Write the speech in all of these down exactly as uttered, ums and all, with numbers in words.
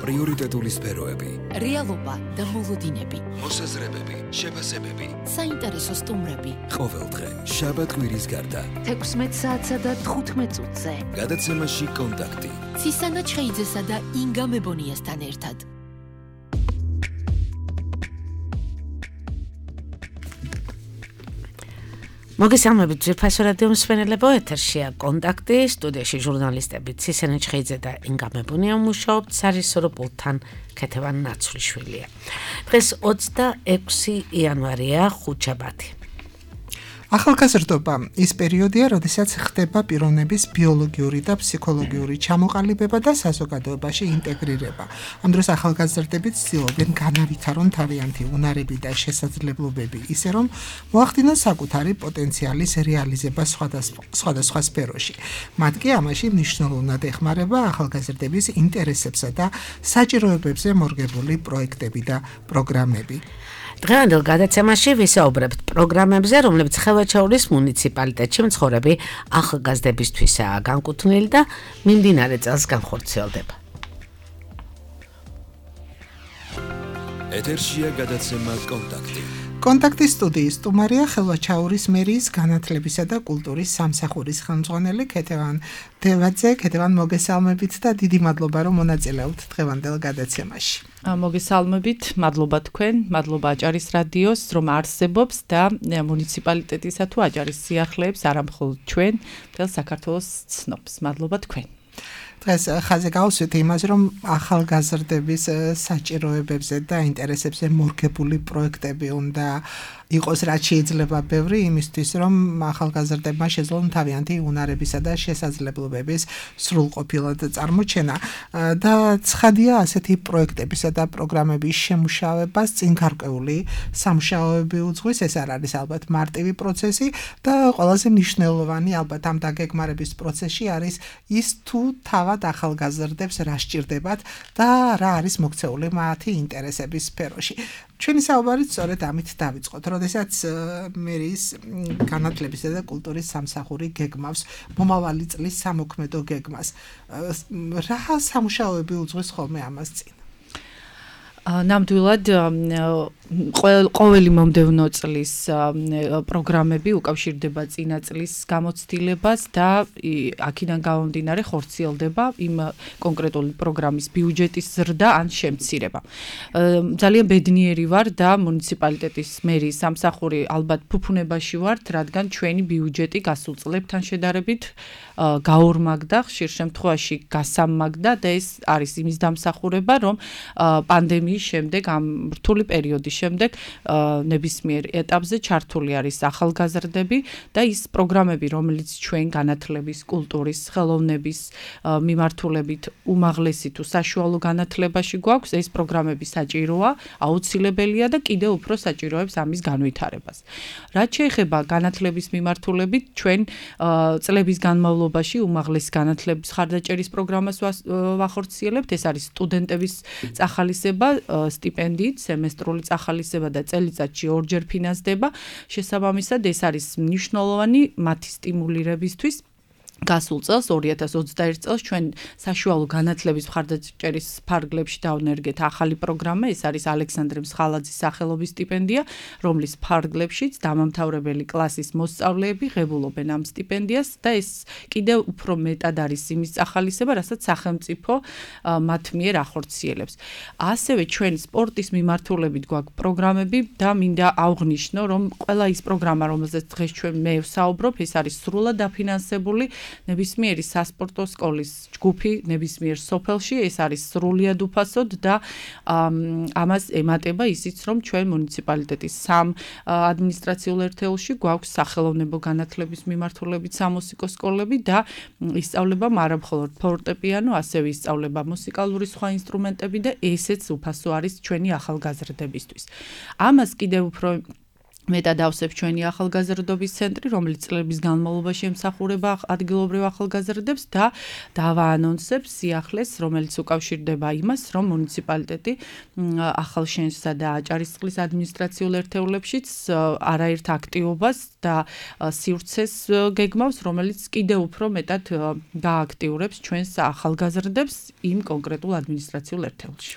პრიორიტეტული სფეროები, რეალობა და მოლოდინები, მოსაზრებები, შეფასებები, საინტერესო სტუმრები. ყოველდღე შაბათ-კვირის გარდა თექვსმეტ საათსა და თხუთმეტ წუთზე. გადაცემაში კონტაქტი. ცისანა ჩხეიძესა და ინგა მებონიასთან ერთად. მოგესალმებით ძვირფასო რადიო მსმენელებო, ეთერშია კონტაქტი, სტუდიაში ჟურნალისტები ცისანა ჩხეიძე და ინგა მებონია მუშაობთ, სარისორო პულტთან ქეთევან ნაცვლიშვილია. დღეს ოცდაექვსი იანვარია, ხუთშაბათი. ახალგაზრდობა ის პერიოდია, როდესაც ხდება პიროვნების ბიოლოგიური და ფსიქოლოგიური ჩამოყალიბება და საზოგადოებაში ინტეგრირება. ამ დროს ახალგაზრდები ცდილობენ განავითარონ თავიანთი უნარები და შესაძლებლობები, ისე რომ მოახდინონ საკუთარი პოტენციალის რეალიზება სხვადასხვა სფეროში. მათ კი ამაში მნიშვნელოვნად ეხმარება ახალგაზრდების ინტერესებსა და საჭიროებებზე მორგებული პროექტები და პროგრამები. დღევანდელ გადაცემაში ვისაუბრებთ პროგრამებზე, რომლებიც ხევაჩაურის მუნიციპალიტეტში მცხოვრები ახალგაზრდებისთვისაა განკუთვნილი და მიმდინარე წელს განხორციელდება. ეთერშია გადაცემა კონტაქტი. კონტაქტის სტუდიის სტუმარია ხევაჩაურის მერიის განათლებისა და კულტურის სამსახურის ხელმძღვანელი ქეთევან დევაძე. ქეთევან, მოგესალმებით და დიდი მადლობა, რომ მონაწილეობთ დღევანდელ გადაცემაში. მოგესალმებით, მადლობა თქვენ, მადლობა აჭარის რადიოს, რომ არსებობს და მუნიციპალიტეტისა თუ აჭარის სიახლეებს არა მხოლოდ ჩვენ, მთელ საქართველოს ცნობს. მადლობა თქვენ. დღეს ხაზი გავუსვით იმას, რომ ახალგაზრდების საჭიროებებზე და ინტერესებზე მორგებული პროექტები უნდა იყოს, რაც შეიძლება ბევრი, იმისთვის, რომ ახალგაზრდებმა შეძლონ თავიანთი უნარებისა და შესაძლებლობების სრულყოფილად წარმოჩენა და ცხადია ასეთი პროექტებისა და პროგრამების შემუშავებას წინ გარკვეული სამუშაოები უძღვის. ეს არ არის ალბათ მარტივი პროცესი და ყველაზე მნიშვნელოვანი ალბათ ამ დაგეგმარების პროცესში არის ის, თუ თავად ახალგაზრდებს რა სჭირდებათ და რა არის მოქცეული მათი ინტერესების სფეროში. ჩვენი საუბარი სწორედ ამით დავიწყოთ, როდესაც მერიის განათლებისა და კულტურის სამსახური გეგმავს მომავალი წლის სამოქმედო გეგმას. რა სამუშაოები უძღვის ხოლმე ამას წინ? ნამდვილად ყოველი მომდევნო წლის პროგრამები უკავშირდება წინა წლის გამოცდილებას და აქედან გამომდინარე ხორციელდება იმ კონკრეტული პროგრამის ბიუჯეტის ზრდა ან შემცირება. ძალიან ბედნიერი ვარ და მუნიციპალიტეტის მერიის სამსახური ალბათ ფუფუნებაში ვართ, რადგან ჩვენი ბიუჯეტი გასულ წლებთან შედარებით გაორმაგდა, ხშირ შემთხვევაში გასამაგდა და ეს არის იმის დამსახურება, რომ პანდემიის შემდეგ, ამ რთული პერიოდის შემდეგ ნებისმიერ ეტაპზე ჩართული არის ახალგაზრდები და ის პროგრამები, რომელიც ჩვენ განათლების, კულტურის, ხელოვნების მიმართულებით უმაღლესი თუ საშუალო განათლებაში გვაქვს, ეს პროგრამები საჭიროა, აუცილებელია და კიდევ უფრო საჭიროებს ამის განვითარებას. რაც შეეხება განათლების მიმართულებით, ჩვენ წლების განმავლობაში უმაღლესი განათლების ხარდაჭერის პროგრამას ვახორციელებთ. ეს არის სტუდენტების წახალისება სტიპენდიით, სემესტრული წახალისება და წელიწადში ორჯერ ფინანსდება. შესაბამისად, ეს არის მნიშვნელოვანი მათი სტიმულირებისთვის. გასულ წელს, ორი ათას ოცდაერთ წელს ჩვენ საშუალო განათლების მხარდაჭერის ფარგლებში დავნერგეთ ახალი პროგრამა, ეს არის ალექსანდრე მსხალაძის სახელობის სტიპენდია, რომლის ფარგლებშიც დამამთავრებელი კლასის მოსწავლეები ღებულობენ ამ სტიპენდიას და ეს კიდევ უფრო მეტად არის იმის წახალისება, რასაც სახელმწიფო მათ მიერ ახორციელებს. ასევე ჩვენ სპორტის მიმართულებით გვაქვს პროგრამები და მინდა აღვნიშნო, რომ ყველა ის პროგრამა, რომელზეც დღეს ჩვენ მე ვსაუბრობ, ეს არის სრულად დაფინანსებული ნებისმიერი სასპორტო სკოლის ჯგუფი ნებისმიერ სოფელში, ეს არის სრულიად უფასოდ და ამას ემატება ისიც, რომ ჩვენ მუნიციპალიტეტის სამ ადმინისტრაციულ ერთეულში გვაქვს სახელოვნებო განათლების მიმართულებით სამუსიკო სკოლები და ისწავლება არა მხოლოდ ფორტეპიანო, ასევე ისწავლება მუსიკალური სხვა ინსტრუმენტები და ესეც უფასო არის ჩვენი ახალგაზრდებისთვის. ამას კიდევ უფრო მეტად ავსებს ჩვენი ახალგაზრდობის ცენტრი, რომელიც წლების განმავლობაში ემსახურება ადგილობრივ ახალგაზრდებს და დავაანონსებს სიახლეს, რომელიც უკავშირდება იმას, რომ მუნიციპალიტეტი ახალშენსა და აჭარისწყლის ადმინისტრაციულ ერთეულებშიც არაერთ აქტივობას და სივრცეს გეგმავს, რომელიც კიდევ უფრო მეტად გააქტიურებს ჩვენს ახალგაზრდებს იმ კონკრეტულ ადმინისტრაციულ ერთეულში.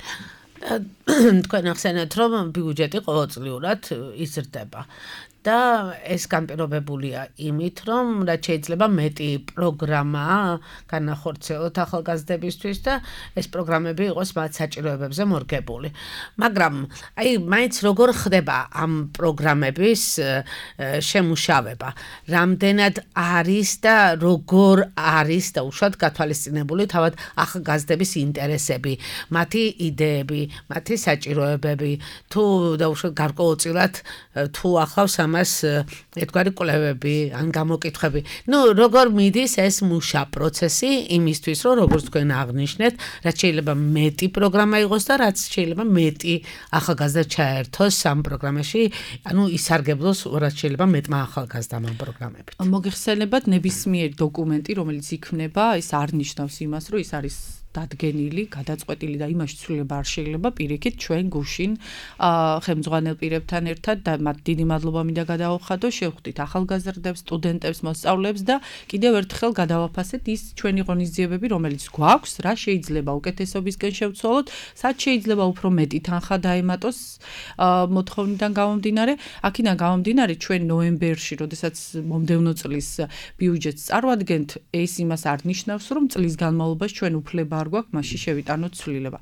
თქვენ ახსენეთ, რომ ბიუჯეტი ყოველწლიურად იზრდება და ეს განპირობებულია იმით, რომ რაც შეიძლება მეტი პროგრამა განახორციელოთ ახალგაზრდებისთვის და ეს პროგრამები იყოს მათ საჭიროებებზე მორგებული. მაგრამ აი მაინც როგორ ხდება ამ პროგრამების შემუშავება? რამდენად არის და როგორ არის და უშუალოდ გათვალისწინებული თავად ახალგაზრდების ინტერესები, მათი იდეები, მათი საჭიროებები, თუ და უშუალოდ გარკვეულწილად თუ ახლავს ამ მას ერთგვარი კვლევები ან გამოკითხვები. ნუ როგორ მიდის ეს მუშა პროცესი იმისთვის, რომ როგორც თქვენ აღნიშნეთ, რაც შეიძლება მეტი პროგრამა იყოს და რაც შეიძლება მეტი ახალგაზრდა ჩაერთოს ამ პროგრამაში, ანუ ისარგებლოს რაც შეიძლება მეტმა ახალგაზრდამ ამ პროგრამებით. მოგეხსენებათ ნებისმიერი დოკუმენტი, რომელიც იქმნება, ეს არ ნიშნავს იმას, რომ ის არის დადგენილი, გადაწყვეტილი და იმაში ცვლილება არ შეიძლება პირიქით ჩვენ გუშინ ხელმძღვანელ პირებთან ერთად და მათ დიდი მადლობა მინდა გადავხადო, შევხვდით ახალგაზრდებს, სტუდენტებს, მოსწავლეებს და კიდევ ერთხელ გადავაფასეთ ის ჩვენი ღონისძიებები, რომელიც გვაქვს, რა შეიძლება უკეთესობისკენ შევცვალოთ, სად შეიძლება უფრო მეტი თანხა დაემატოს მოთხოვნიდან გამომდინარე. აქედან გამომდინარე ჩვენ ნოემბერში, როდესაც მომდევნო წლის ბიუჯეტს წარვადგენთ, ეს იმას არ ნიშნავს, რომ წლის განმავლობაში ჩვენ უფლება გვაქვს მასში შევიტანოთ ცვლილება.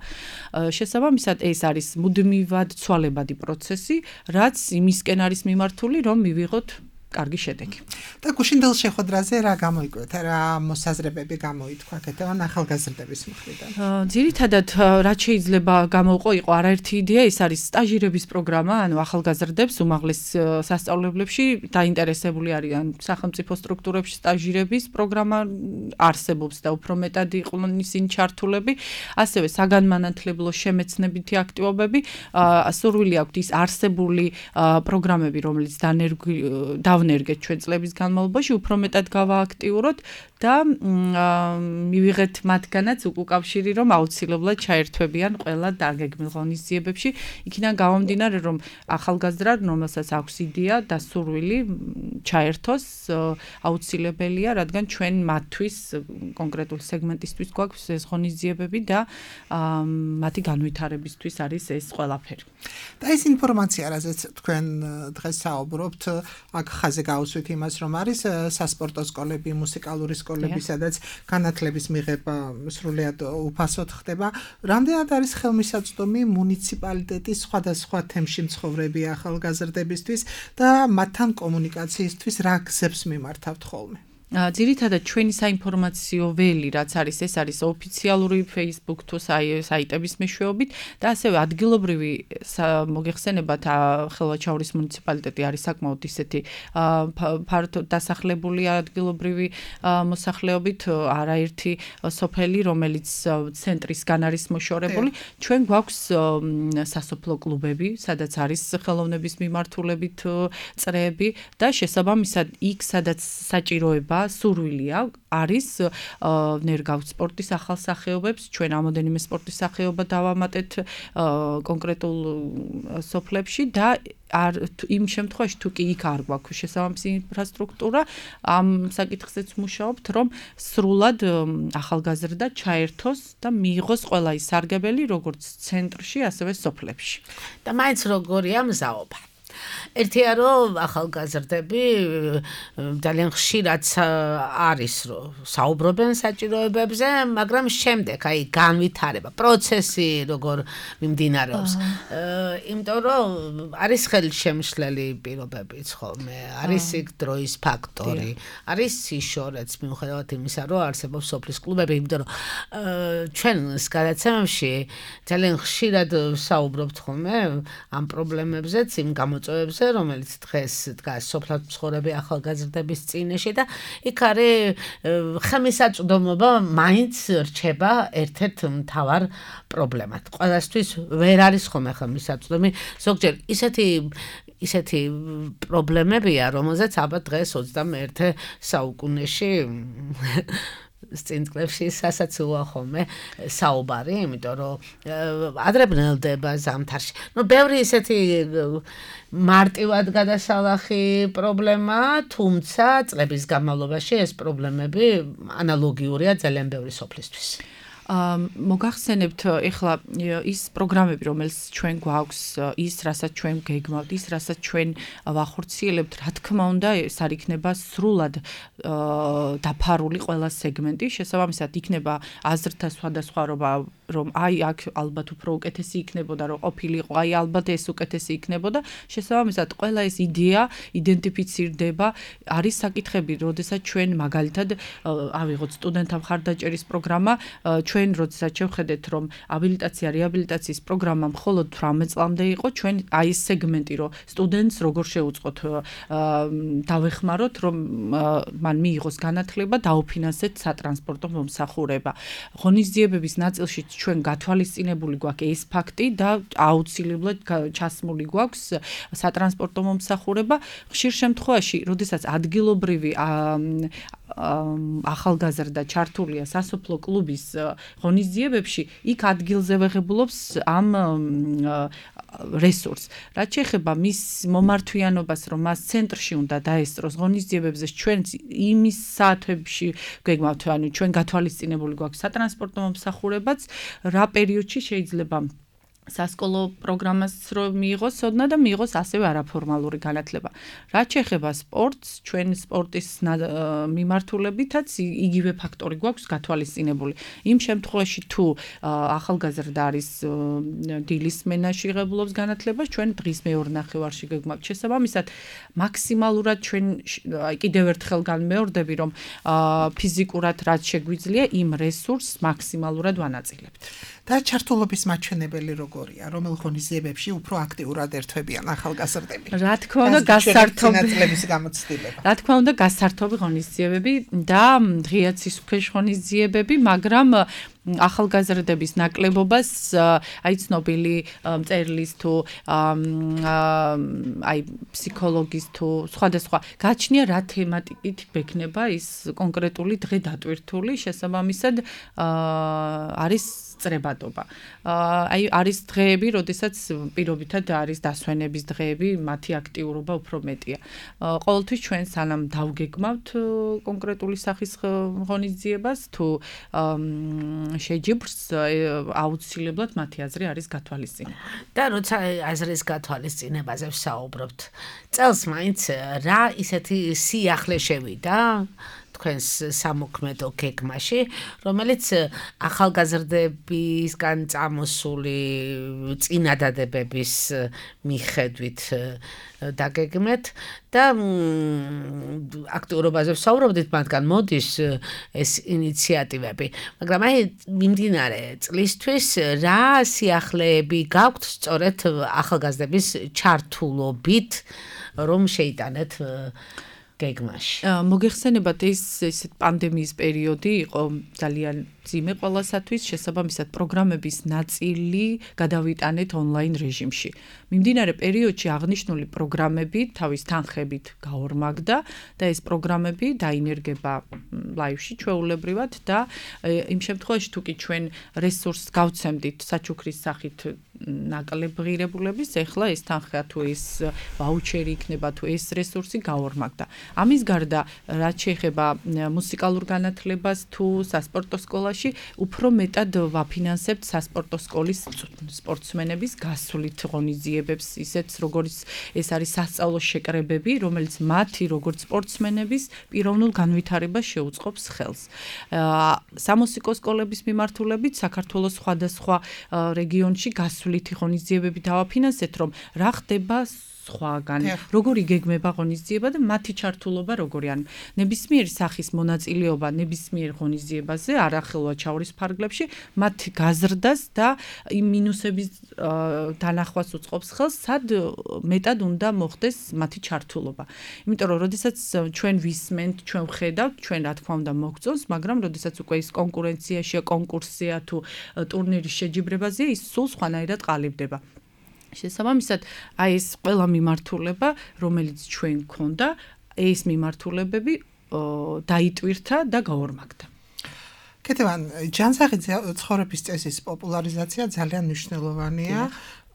შესაბამისად ეს არის მუდმივად ცვალებადი პროცესი, რაც იმისკენ არის მიმართული, რომ მივიღოთ კარგი შედეგი. და გუშინდელ შეხვედრაზე რა გამოიკვეთა, რა მოსაზრებები გამოითქვა კეთებან ახალგაზრდების მხრიდან? ძირითადად რაც შეიძლება გამოვყო იყო არაერთი იდეა, ეს არის სტაჟირების პროგრამა, ანუ ახალგაზრდებს უმაღლეს სასწავლებლებში დაინტერესებული არიან სახელმწიფო სტრუქტურებში სტაჟირების პროგრამა არსებობს და უფრო მეტად იყვნენ ისინი ჩართულები, ასევე საგანმანათლებლო შემეცნებითი აქტივობები, სურვილი აქვთ ის არსებული პროგრამები, რომელიც დანერგვი ნერგეთ ჩვენ წლების განმავლობაში უფრო მეტად გავააქტიუროთ და მივიღეთ მათგანაც უკავშირი, რომ აუცილებლად ჩაერთვებიან ყველა დაგეგმილ ღონისძიებებში. იქიდან გამომდინარე, რომ ახალგაზრდა, რომელსაც აქვს იდეა და სურვილი ჩაერთოს, აუცილებელია, რადგან ჩვენ მათთვის კონკრეტულ სეგმენტისთვის გვაქვს ეს ღონისძიებები და მათი განვითარებისთვის არის ეს ყველაფერი. და ეს ინფორმაცია, რაზეც თქვენ დღეს საუბრობთ, აქ ხაზე გავუსვით იმას, რომ არის სასპორტო სკოლები, მუსიკალური სკოლები, სადაც განათლების მიღება სრულიად უფასოდ ხდება. რამდენად არის ხელმისაწვდომი მუნიციპალიტეტის სხვადასხვა თემში მცხოვრები ახალგაზრდებისთვის და მათთან კომუნიკაციისთვის რა გზებს მიმართავთ ხოლმე? ძირითადად ჩვენი საინფორმაციო ველი, რაც არის, ეს არის ოფიციალური Facebook თუ საიტების მეშვეობით და ასევე ადგილობრივი მოგეხსენებათ ხელვაჩაურის მუნიციპალიტეტი არის საკმაოდ ისეთი ფართოდ დასახლებული ადგილობრივი მოსახლეობით, არაერთი სოფელი, რომელიც ცენტრისგან არის მოშორებული. ჩვენ გვაქვს სასოფლო კლუბები, სადაც არის ხელოვნების მიმართულებით წრეები და შესაბამისად იქ, სადაც საჭიროება სურვილია არის ნერგავთ სპორტის ახალსახეობებს, ჩვენ ამოდენიმე სპორტის სახეობა დავამატეთ კონკრეტულ სოფლებში და არ იმ შემთხვევაში თუ კი იქ არ გვაქვს შესაბამისი ინფრასტრუქტურა, ამ საკითხზეც მუშაობთ, რომ სრულად ახალგაზრდა ჩაერთოს და მიიღოს ყველა ის სარგებელი, როგორც ცენტრში, ასევე სოფლებში. და მაინც როგორია მზაობა? ერთია რომ ახალგაზრდები ძალიან ხშირად არის რომ საუბრობენ საჭიროებებზე, მაგრამ შემდეგ აი განვითარება, პროცესი როგორ მიმდინარეობს. იმიტომ რომ არის ხელშემშლელი პირობებიც ხოლმე, არის იქ დროის ფაქტორი, არის სიშორეც მიუხედავად იმისა, რომ არსებობს სოფლის კლუბები, იმიტომ რომ ჩვენ გადაცემებში ძალიან ხშირად საუბრობთ ხოლმე ამ პრობლემებზეც, იმ გამო მოწვევებზე, რომელიც დღეს დგას სოფლად მცხოვრები ახალგაზრდების წინაშე და იქ არის ხმისაწვდომობა მაინც რჩება ერთ-ერთ მთავარ პრობლემად. ყველასთვის ვერ არის ხოლმე ხმისაწვდომი, ზოგჯერ ისეთი ისეთი პრობლემებია, რომელზეც ალბათ დღეს ოცდამეერთე საუკუნეში წინწკლებში სასაცილოა ხოლმე საუბარი, იმიტომ რომ ადრე ბნელდება ზამთარში. ნუ ბევრი ისეთი მარტივად გადასალახი პრობლემა, თუმცა წლების განმავლობაში ეს პრობლემები ანალოგიურია ძალიან ბევრი სოფლისთვის. მოგახსენებთ ეხლა ის პროგრამები, რომელიც ჩვენ გვაქვს, ის რასაც ჩვენ გეგმავთ, ის რასაც ჩვენ ვახორციელებთ, რა თქმა უნდა, ეს არ იქნება სრულად დაფარული ყველა სეგმენტი, შესაბამისად იქნება აზრთა სხვადასხვაობა, რომ აი აქ ალბათ უფრო უკეთესი იქნებოდა, რომ ყოფილიყო, აი ალბათ ეს უკეთესი იქნებოდა, შესაბამისად ყველა ეს იდეა იდენტიფიცირდება, არის საკითხები, როდესაც ჩვენ მაგალითად ავიღოთ სტუდენტთა მხარდაჭერის პროგრამა, ჩვენ როდესაც შევხედეთ, რომ აბილიტაცია, რეაბილიტაციის პროგრამა მხოლოდ თვრამეტ წლამდე იყო, ჩვენ აი ეს სეგმენტი, რომ სტუდენტს როგორ შეუწყოთ დავეხმაროთ, რომ მან მიიღოს განათლება, დაუფინანსეთ სატრანსპორტო მომსახურება. ღონისძიებების ნაწილში ჩვენ გათვალისწინებული გვაქვს ეს ფაქტი და აუცილებლად ჩასმული გვაქვს სატრანსპორტო მომსახურება. ხშირ შემთხვევაში, როდესაც ადგილობრივი ახალგაზრდა ჩართულია სასოფლო კლუბის ღონისძიებებში, იქ ადგილზე ვეღებულობს ამ რესურსს. რაც შეეხება მის მომართვიანობას, რომ მას ცენტრში უნდა დაესწროს ღონისძიებებზე, ჩვენ იმის საათებში გეგმავთ, ანუ ჩვენ გათვალისწინებული გვაქვს სატრანსპორტო მომსახურებაც, რა პერიოდში შეიძლება სასკოლო პროგრამას რომ მიიღოს ოდნა და მიიღოს ასევე არაფორმალური განათლება. რაც შეეხება სპორტს, ჩვენ სპორტის მიმართულებითაც იგივე ფაქტორი გვაქვს გათვალისწინებული. იმ შემთხვევაში თუ ახალგაზრდა არის დილის სმენაში ღებულობს განათლებას, ჩვენ დღის მეორე ნახევარში გეგმავთ. შესაბამისად, მაქსიმალურად ჩვენ აი კიდევ ერთხელ განმეორდები, რომ ფიზიკურად რაც შეგვიძლია, იმ რესურსს მაქსიმალურად ვანაწილებთ. და ჩართულობის მაჩვენებელი როგორია, რომელ ღონისძიებებში უფრო აქტიურად ერთვებიან ახალგაზრდები? რა თქმა უნდა, გასართობი წლების გამოცდილება. რა თქმა უნდა, გასართობი ღონისძიებები და ღია ცისუფლეშ ღონისძიებები, მაგრამ ახალგაზრდების ნაკლებობას აი ცნობილი მწერლის თუ აი ფსიქოლოგის თუ სხვადასხვა გაჩნია რა თემატიკით ვექნება ის კონკრეტული დღე დატვირთული, შესაბამისად არის წრებადობა. აი არის დღეები, როდესაც პირობითად არის დასვენების დღეები, მათი აქტიურობა უფრო მეტია. ყოველთვის ჩვენ სანამ დავგეგმავთ კონკრეტული სახის ღონისძიებას თუ შეჯიბრს აუცილებლად მათი აზრი არის გათვალისწინებული. და როცა აზრის გათვალისწინებაზე ვსაუბრობთ, წელს მაინც რა ისეთი სიახლე შევიდა თქვენს სამოქმედო გეგმაში, რომელიც ახალგაზრდებისგან წამოსული წინადადებების მიხედვით დაგეგმეთ და აქტიურობაზე ვსაუბრობდით, მათგან მოდის ეს ინიციატივები, მაგრამ აი მიმდინარე წლისთვის რა სიახლეები გაქვთ სწორედ ახალგაზრდების ჩართულობით, რომ შეიტანეთ გეგმაში. მოგეხსენებათ ის ესეთ პანდემიის პერიოდი იყო ძალიან ძიმე ყველასათვის, შესაბამისად პროგრამების ნაწილი გადავიტანეთ ონლაინ რეჟიმში. მიმდინარე პერიოდში აღნიშნული პროგრამები თავის თანხებით გაორმაგდა და ეს პროგრამები დაინერგება ლაივში ჩვეულებრივად და იმ შემთხვევაში თუ კი ჩვენ რესურსს გავცემდით საჩუქრის სახით ნაკლებ ღირებულების, ეხლა ეს თანხა თუ ეს ვაუჩერი იქნება თუ ეს რესურსი გაორმაგდა. ამის გარდა, რაც შეეხება მუსიკალურ განათლებას თუ სასპორტო სკოლაში, უფრო მეტად ვაფინანსებთ სასპორტო სკოლის სპორტსმენების გასვლით ღონისძიებებს, ისეთ როგორც ეს არის სასწავლო შეკრებები, რომელიც მათი როგორც სპორტსმენების პიროვნულ განვითარებას შეუწყობს ხელს. სამუსიკო სკოლების მიმართულებით საქართველოს სხვადასხვა რეგიონში გასვლითი ღონისძიებები დავაფინანსეთ, რომ რა ხდება სხვაგან, როგორი გეგმება ღონისძიება და მათი ჩართულობა როგორი ან ნებისმიერი სახის მონაწილეობა ნებისმიერ ღონისძიებაზე არახელვა ჩაურის ფარგლებში მათი გაზრდას და იმ მინუსების დანახვას უწყობს ხელს, სად მეტად უნდა მოხდეს მათი ჩართულობა. იმიტომ რომ როდესაც ჩვენ ვისმენთ, ჩვენ ვხედავთ, ჩვენ რა თქმა უნდა მოგწონს, მაგრამ როდესაც უკვე ის კონკურენციაშია, კონკურსია თუ ტურნირის შეჯიბრებაზეა, ის სულ სხვანაირად ყალიბდება. შესაბამისად, აი ეს ყველა მიმართულება, რომელიც ჩვენ გქონდა, ეს მიმართულებები დაიტვირთა და გაორმაგდა. კეთებან, ჯანსაღი ცხოვრების წესის პოპულარიზაცია ძალიან მნიშვნელოვანია.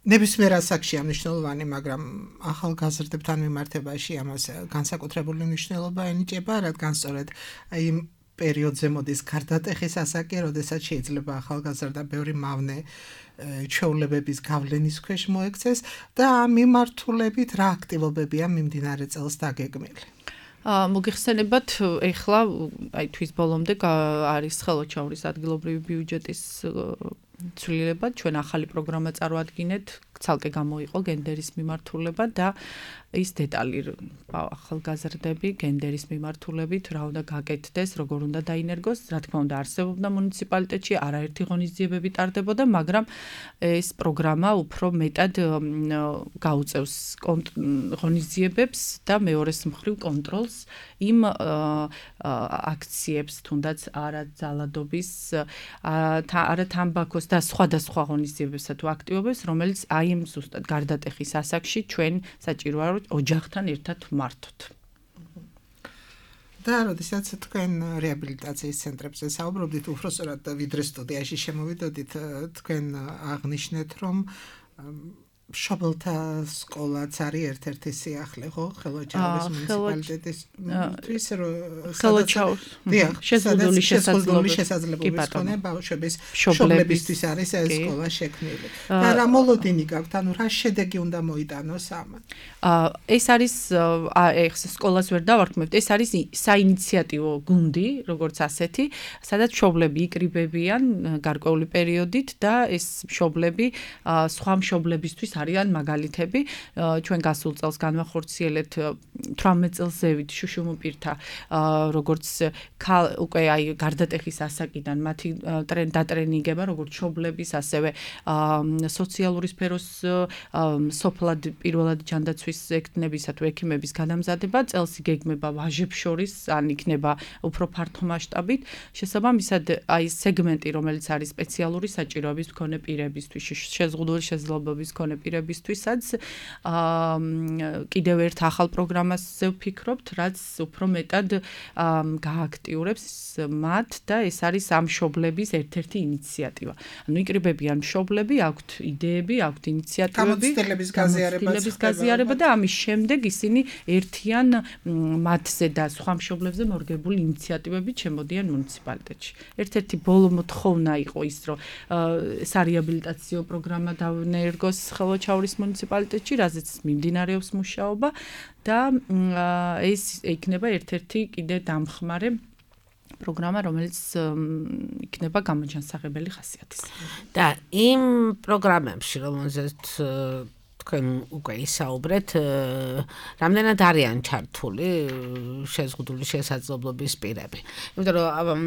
ნებისმიერ ასაკშია მნიშვნელოვანი, მაგრამ ახალგაზრდებთან მიმართებაში ამას განსაკუთრებული მნიშვნელობა ენიჭება, რადგან სწორედ იმ პერიოდზე მოდის გარდატეხის ასაკი, როდესაც შეიძლება ახალგაზრდა ბევრი მავნე ჩვეულებების გავლენის ქვეშ მოექცეს და ამ მიმართულებით რა აქტივობებია მიმდინარე წელს დაგეგმილი. მოგიხსენებათ, ეხლა აი თვის ბოლომდე არის ხელოჩაურის ადგილობრივი ბიუჯეტის ცვლილება, ჩვენ ახალი პროგრამა წარვადგინეთ, ცალკე გამოიყო გენდერის მიმართულება და ის დეტალი ახალგაზრდები გენდერის მიმართულებით რა უნდა გაკეთდეს, როგორ უნდა დაინერგოს, რა თქმა უნდა არსებობდა მუნიციპალიტეტში არაერთი ღონისძიებები ტარდებოდა, მაგრამ ეს პროგრამა უფრო მეტად გაუწევს ღონისძიებებს და მეორეს მხრივ კონტროლს იმ აქციებს, თუნდაც არაძალადობის, არათამბაქოს და სხვადასხვა ღონისძიებებსა თუ აქტივობებს, რომელიც აი იმ ზუსტად გარდატეხის ასაკში ჩვენ საჭიროა რომ ოჯახთან ერთად მართოთ. და როდესაც თქვენ რეაბილიტაციის ცენტრებზე საუბრობდით, უბრალოდ ვიდრე სტუდიაში შემოვიდოდით, თქვენ აღნიშნეთ, რომ შობელთა სკოლაც არის ერთ-ერთი სიახლე, ხო? ხელოჩაურის მუნიციპალიტეტის თვის ხელოჩაურის შეზღუდული შესაძლებლობის მქონე ბავშვების შობლებისთვის არის ეს სკოლა შექმნილი. და რა მოლოდინი გაქვთ, ანუ რა შედეგი უნდა მოიტანოს ამან? ეს არის ეს სკოლას ვერ დავარქმევთ, ეს არის საინიციატივო გუნდი, როგორც ასეთი, სადაც მშობლები იკრიბებიან გარკვეული პერიოდით და ეს მშობლები სხვა მშობლებისთვის არიან მაგალითები. ჩვენ გასულ წელს განვახორციელეთ თვრამეტ წელს ზევით შუშუმუპირთა როგორც უკვე აი გარდატეხის ასაკიდან მათი დატრენინგება როგორც მშობლების, ასევე სოციალური სფეროს სოფლად პირველად ჯანდაცვის ექნებისა თუ ექიმების განამზადება, წელს იგეგმება ვაჟებს შორის, ან იქნება უფრო ფართო მასშტაბით. შესაბამისად, აი სეგმენტი, რომელიც არის სპეციალური საჭიროების მქონე პირებისთვის, შეზღუდული შესაძლებლობის მქონე პირებისთვისაც, კიდევ ერთ ახალ პროგრამაზე ვფიქრობთ, რაც უფრო მეტად გააქტიურებს მათ და ეს არის ამ მშობლების ერთ-ერთი ინიციატივა. ანუ იკრიბებიან მშობლები, აქვთ იდეები, აქვთ ინიციატივები, გამოცდილების გაზიარება და ამის შემდეგ ისინი ერთიან მათზე და სხვა მშობლებზე მორგებული ინიციატივებით შემოდიან მუნიციპალიტეტში. ერთ-ერთი ბოლო მოთხოვნა იყო ის, რომ სარეაბილიტაციო პროგრამა დავნერგოს ხელოჩაურის მუნიციპალიტეტში, რაზეც მიმდინარეობს მუშაობა და ეს იქნება ერთ-ერთი კიდე დამხმარე პროგრამა, რომელიც იქნება გამოჯანსაღებელი ხასიათის. და იმ პროგრამებში, რომელზეც თქვენ უკვე ისაუბრეთ, რამდენად არიან ჩართული შეზღუდული შესაძლებლობის პირები. იმიტომ რომ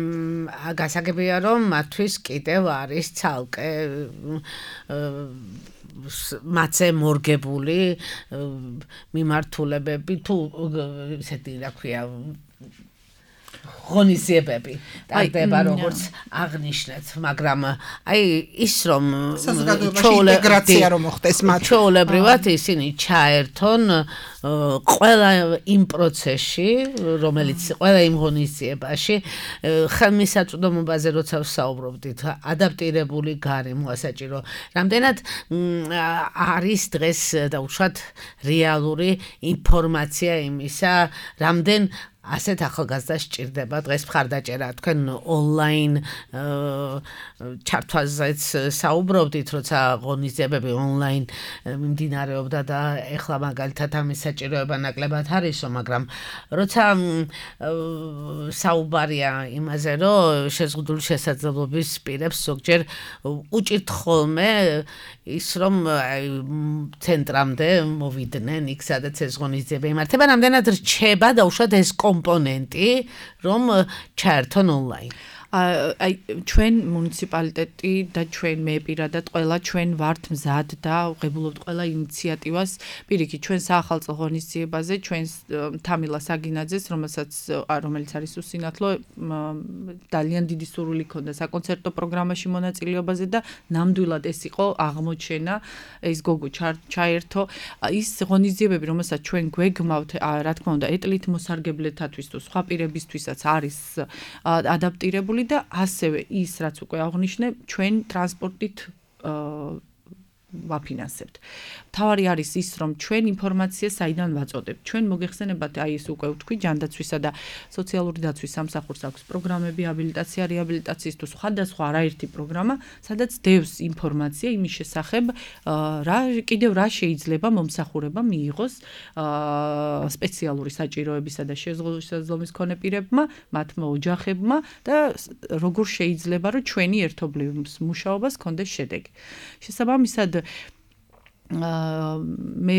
გასაგებია, რომ მათთვის კიდევ არის ცალკე მათზე მორგებული მიმართულებები თუ ესეთი რა ქვია ღონისძიებები ტარდება როგორც აღნიშნეთ, მაგრამ აი ის რომ ინტეგრაცია რომ მოხდეს მათ ჩვეულებრივად ისინი ჩაერთონ ყველა იმ პროცესში, რომელიც ყველა იმ ღონისძიებაში ხელმისაწვდომობაზე როცა ვსაუბრობდით, ადაპტირებული გარემოა საჭირო. რამდენად არის დღეს და უშუალოდ რეალური ინფორმაცია იმისა, რამდენ ასეთ ახალგაზრდას სჭირდება დღეს მხარდაჭერა თქვენ ონლაინ ჩართვაზეც საუბრობდით როცა ღონისძიებები ონლაინ მიმდინარეობდა და ეხლა მაგალითად ამის საჭიროება ნაკლებად არისო მაგრამ როცა საუბარია იმაზე რომ შეზღუდული შესაძლებლობის პირებს ზოგჯერ უჭირთ ხოლმე ის რომ ცენტრამდე მოვიდნენ იქ სადაც ეს ღონისძიება იმართება რამდენად რჩება დაუშვათ ეს კომპონენტი რომ ჩაერთონ ონლაინ აი ჩვენ მუნიციპალიტეტი და ჩვენ მე პირადად ყველა ჩვენ ვართ მზად და ვღებულობთ ყველა ინიციატივას პირიქით ჩვენ საახალწლო ღონისძიებაზე ჩვენ თამილა საგინაძეს რომელსაც რომელიც არის უსინათლო ძალიან დიდი სურვილი ჰქონდა საკონცერტო პროგრამაში მონაწილეობაზე და ნამდვილად ეს იყო აღმოჩენა ეს გოგო ჩაერთო ის ღონისძიებები რომელსაც ჩვენ გვეგმავთ რა თქმა უნდა ეტლით მოსარგებლეთათვის თუ სხვა პირებისთვისაც არის ადაპტირებული და ასევე ის რაც უკვე აღნიშნე ჩვენ ტრანსპორტით ვაფინანსებთ. თავარი არის ის რომ ჩვენ ინფორმაციას საიდან ვაწოდებთ. ჩვენ მოგეხსენებათ აი ეს უკვე ვთქვი ჯანდაცვისა და სოციალური დაცვის სამსახურს აქვს პროგრამები აბილიტაცია რეაბილიტაციის თუ სხვადასხვა არაერთი პროგრამა, სადაც დევს ინფორმაცია იმის შესახებ რა კიდევ რა შეიძლება მომსახურება მიიღოს სპეციალური საჭიროებისა და შესაძლებლობის მქონე პირებმა, მათმა ოჯახებმა და როგორ შეიძლება რომ ჩვენი ერთობლივ მუშაობას კონდეს შედეგი. შესაბამისად მე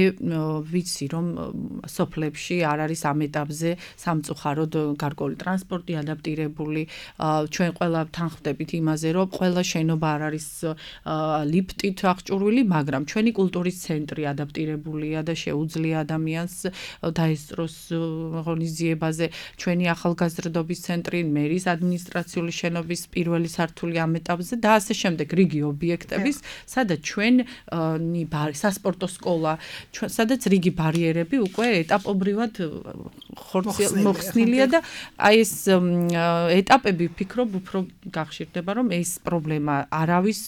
ვიცი რომ სოფლებში არ არის ამ ეტაპზე სამწუხაროდ გარკვეული ტრანსპორტი ადაპტირებული ჩვენ ყველა თანხმდებით იმაზე რომ ყველა შენობა არ არის ლიფტით აღჭურვილი მაგრამ ჩვენი კულტურის ცენტრი ადაპტირებულია და შეუძლია ადამიანს დაესწროს ღონისძიებაზე ჩვენი ახალგაზრდობის ცენტრი მერის ადმინისტრაციული შენობის პირველი სართული ამ ეტაპზე და ასე შემდეგ რიგი ობიექტების სადაც ჩვენ სასპორტო სკოლა, სადაც რიგი ბარიერები უკვე ეტაპობრივად მოხსნილია და აი ეს ეტაპები ვფიქრობ უფრო გახშირდება რომ ეს პრობლემა არავის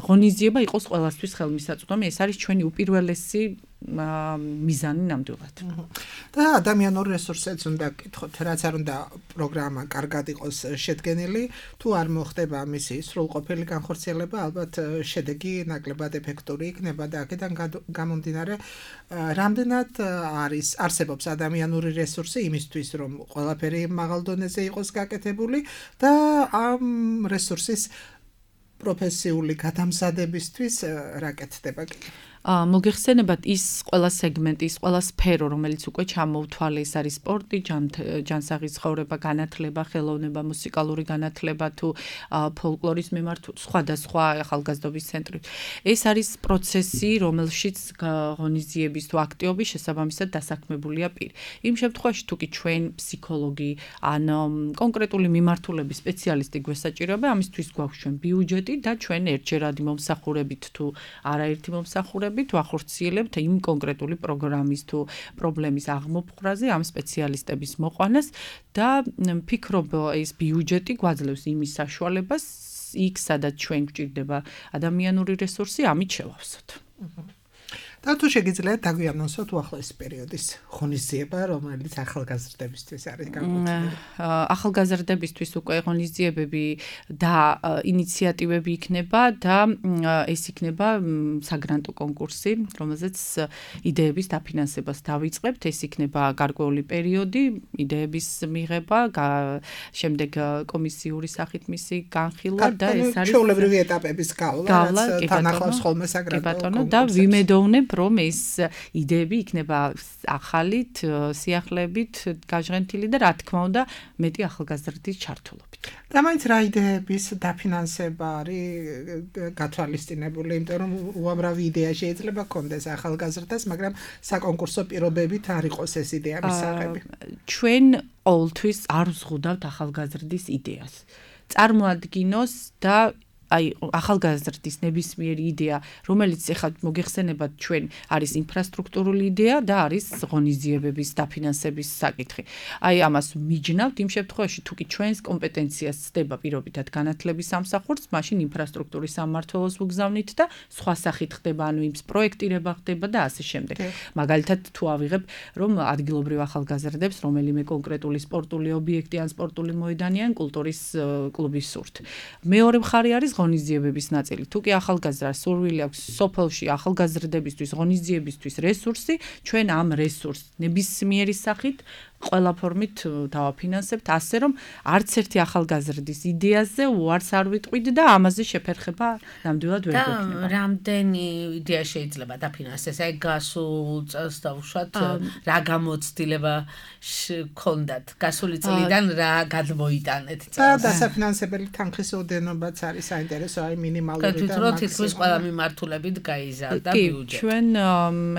ღონისძიება იყოს ყველასთვის ხელმისაწვდომი, ეს არის ჩვენი უპირველესი მიზანი ნამდვილად. და ადამიანურ რესურსებს უნდა გკითხოთ, რაც არ უნდა პროგრამა კარგად იყოს შედგენილი, თუ არ მოხდება მისი სრულყოფილი განხორციელება, ალბათ შედეგი ნაკლებად ეფექტური იქნება და აქედან გამომდინარე, რამდენად არის არსებობს ადამიანური რესურსი იმისთვის, რომ ყველაფერი მაღალ დონეზე იყოს გაკეთებული და ამ რესურსის პროფესიული გადამზადებისთვის რა კეთდება კიდევ? მოგეხსენებათ ის ყველა სეგმენტი, ის ყველა სფერო, რომელიც უკვე ჩამოვთვალე, ეს არის სპორტი, ჯანსაღი ცხოვრება, განათლება, ხელოვნება, მუსიკალური განათლება თუ ფოლკლორის მიმართ სხვადასხვა ახალგაზრდობის ცენტრი. ეს არის პროცესი, რომელშიც ღონისძიების თუ აქტივობის შესაბამისად დასაქმებულია პირი. იმ შემთხვევაში თუ კი ჩვენ ფსიქოლოგი ან კონკრეტული მიმართულების სპეციალისტი გვესაჭიროება, ამისთვის გვაქვს ჩვენ ბიუჯეტი და ჩვენ ერთჯერადი მომსახურებით თუ არაერთი მომსახურებით თუ ახორციელებთ იმ კონკრეტული პროგრამის თუ პრობლემის აღმოფხვრაზე ამ სპეციალისტების მოყვანას და ვფიქრობ ეს ბიუჯეტი გვაძლევს იმის საშუალებას იქ სადაც ჩვენ გვჭირდება ადამიანური რესურსი ამით შევავსოთ. და თუ შეგიძლიათ დაგვიანონსოთ უახლოესი პერიოდის ღონისძიება, რომელიც ახალგაზრდებისთვის არის განკუთვნილი. ახალგაზრდებისთვის უკვე ღონისძიებები და ინიციატივები იქნება და ეს იქნება საგრანტო კონკურსი, რომელზეც იდეების დაფინანსებას დავიწყებთ. ეს იქნება გარკვეული პერიოდი, იდეების მიღება, შემდეგ კომისიური სახით მისი განხილვა და ეს არის ჩვეულებრივი ეტაპების გავლა, რაც თან ახლავს ხოლმე საგრანტო კონკურსს. და ვიმედოვნებ რომ ეს იდეები იქნება ახალით, სიახლეებით გაჟღენთილი და რა თქმა უნდა მეტი ახალგაზრდის ჩართულობით. და მაინც რა იდეების დაფინანსება არის გათვალისწინებული, იმიტომ რომ უამრავი იდეა შეიძლება კონდეს ახალგაზრდას, მაგრამ საკონკურსო პირობებით არ იყოს ეს იდეა მისაღები. ჩვენ ყოველთვის არ ვზღუდავთ ახალგაზრდის იდეას. წარმოადგინოს და აი ახალგაზრდის ნებისმიერი იდეა, რომელიც ეხლა მოგეხსენებათ ჩვენ, არის ინფრასტრუქტურული იდეა და არის ღონისძიებების დაფინანსების საკითხი. აი ამას მიჯნავთ იმ შემთხვევაში, თუ კი ჩვენს კომპეტენციას ცდება პირობითად განათლების სამსახურს, მაშინ ინფრასტრუქტურის სამმართველოს ვუგზავნით და სხვა სახით ხდება, ანუ იმის პროექტირება ხდება და ასე შემდეგ. მაგალითად, თუ ავიღებ, რომ ადგილობრივ ახალგაზრდებს რომელიმე კონკრეტული სპორტული ობიექტი ან სპორტული მოედანი ან კულტურის კლუბი სურთ. მეორე მხარე არის ღონისძიებების ნაწილი. თუ კი ახალგაზრდას სურვილი აქვს სოფელში ახალგაზრდებისთვის ღონისძიებისთვის რესურსი, ჩვენ ამ რესურსს ნებისმიერი სახით ყველა ფორმით დავაფინანსებთ, ასე რომ არც ერთი ახალგაზრდის იდეაზე უარს არ ვიტყვით და ამაზე შეფერხება ნამდვილად ვერ გვექნება. და რამდენი იდეა შეიძლება დაფინანსდეს? აი გასულ წელს დავუშვათ, რა გამოცდილება გქონდათ? გასული წლიდან რა გადმოიტანეთ და წელს? დასაფინანსებელი თანხის ოდენობაც არის საინტერესო, აი მინიმალური და თვითონ თითქმის ყველა მიმართულებით გაიზარდა ბიუჯეტი. ჩვენ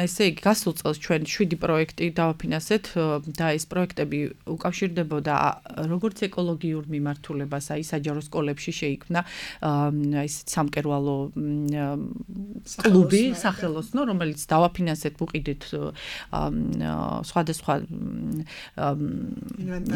ესე იგი გასულ წელს ჩვენ შვიდი პროექტი დავაფინანსეთ და ეს პროექტები უკავშირდებოდა როგორც ეკოლოგიურ მიმართულებას, აი საჯარო სკოლებში შეიქმნა ის სამკერვალო კლუბი, სახელოსნო, რომელიც დავაფინანსეთ, ვუყიდეთ სხვადასხვა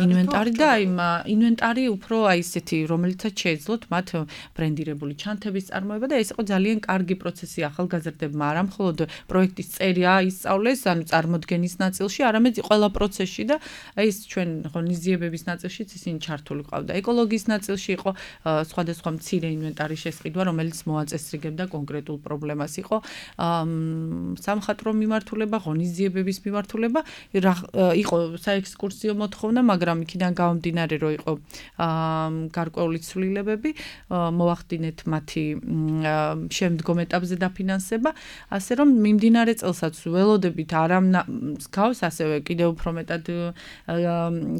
ინვენტარი და აი ინვენტარი უფრო აი ესეთი, რომელიცაც შეეძლოთ მათ ბრენდირებული ჩანთების წარმოება და ეს იყო ძალიან კარგი პროცესი ახალგაზრდებმა, არა მხოლოდ პროექტის წერია ისწავლეს, ანუ წარმოდგენის ნაწილში, არამედ ყველა პროცესში და აი ეს ჩვენ ღონისძიებების ნაწილშიც ისინი ჩართული ყავდა. ეკოლოგიის ნაწილში იყო სხვადასხვა მცირე ინვენტარის შესყიდვა, რომელიც მოაწესრიგებდა კონკრეტულ პრობლემას. იყო სამხატვრო მიმართულება, ღონისძიებების მიმართულება, იყო საექსკურსიო მოთხოვნა, მაგრამ იქიდან გამომდინარე, რომ იყო გარკვეული ცვლილებები, მოახდინეთ მათი შემდგომ ეტაპზე დაფინანსება, ასე რომ მიმდინარე წელსაც ველოდებით არა მსგავს, ასევე კიდევ უფრო მეტად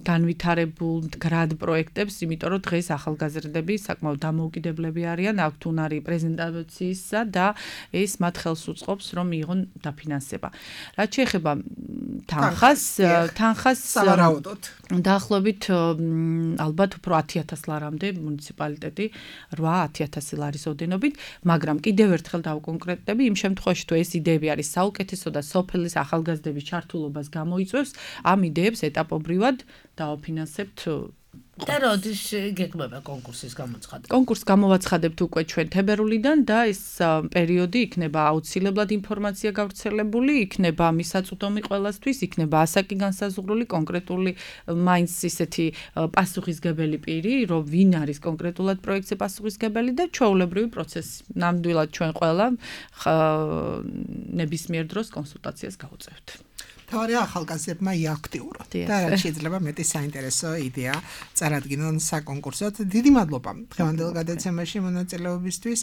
განვითარებულ მდგრად პროექტებს, იმიტომ რომ დღეს ახალგაზრდები საკმაოდ დამოუკიდებლები არიან, აქვთ უნარი პრეზენტაციისა და ეს მათ ხელს უწყობს, რომ მიიღონ დაფინანსება. რაც შეეხება თანხას, თანხას სავარაუდოდ დაახლოებით ალბათ უფრო ათი ათას ლარამდე მუნიციპალიტეტი რვა ათი ათასი ლარის ოდენობით, მაგრამ კიდევ ერთხელ დავკონკრეტდები, იმ შემთხვევაში თუ ეს იდეები არის საუკეთესო და სოფლის ახალგაზრდების ჩართულობას გამოიწვევს, ამ იდეებს ეტაპობრივად დავაფინანსებთ. და როდის გეკმება კონკურსის გამოცხადება? კონკურსს გამოვაცხადებთ უკვე ჩვენ თებერვლიდან და ეს პერიოდი იქნება აუცილებლად ინფორმაცია გავრცელებული, იქნება მისაწვდომი ყველასთვის, იქნება ასაკი განსაზღვრული, კონკრეტული მაინც ისეთი პასუხისგებელი პირი, რომ ვინ არის კონკრეტულად პროექტზე პასუხისგებელი და ჩვეულებრივი პროცესი. ნამდვილად ჩვენ ყველა ნებისმიერ დროს კონსულტაციას გავუწევთ. თავარი ახალგაზრდებმა იაქტიუროთ და რაც შეიძლება მეტი საინტერესო იდეა წარადგინონ საკონკურსოდ. დიდი მადლობა დღევანდელ გადაცემაში მონაწილეობისთვის,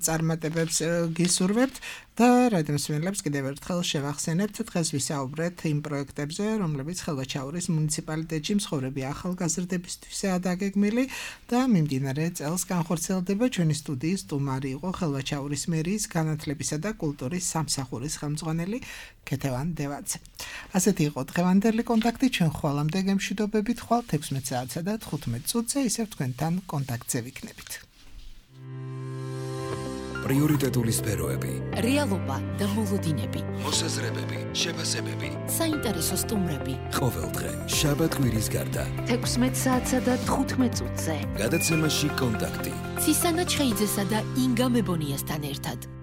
წარმატებებს გისურვებთ და რადიომსმენელებს კიდევ ერთხელ შევახსენებთ, დღეს ვისაუბრეთ იმ პროექტებზე, რომლებიც ხელვაჩაურის მუნიციპალიტეტში მცხოვრები ახალგაზრდებისთვისაა დაგეგმილი და მიმდინარე წელს განხორციელდება. ჩვენი სტუდიის სტუმარი იყო ხელვაჩაურის მერიის განათლებისა და კულტურის სამსახურის ხელმძღვანელი ქეთევან დევაძე. ასეთი იყო დღევანდელი კონტაქტი, ჩვენ ხვალამდე გემშვიდობებით, ხვალ თექვსმეტ საათსა და თხუთმეტ წუთზე ისევ თქვენთან კონტაქტზე ვიქნებით. პრიორიტეტული სფეროები, რეალობა და მოლოდინები, მოსაზრებები, შეფასებები, საინტერესო სტუმრები. ყოველდღე შაბათ კვირის გარდა. თექვსმეტ საათსა და თხუთმეტ წუთზე. გადაცემაში კონტაქტი. ცისანა ჩხეიძესა და ინგა მებონიასთან ერთად.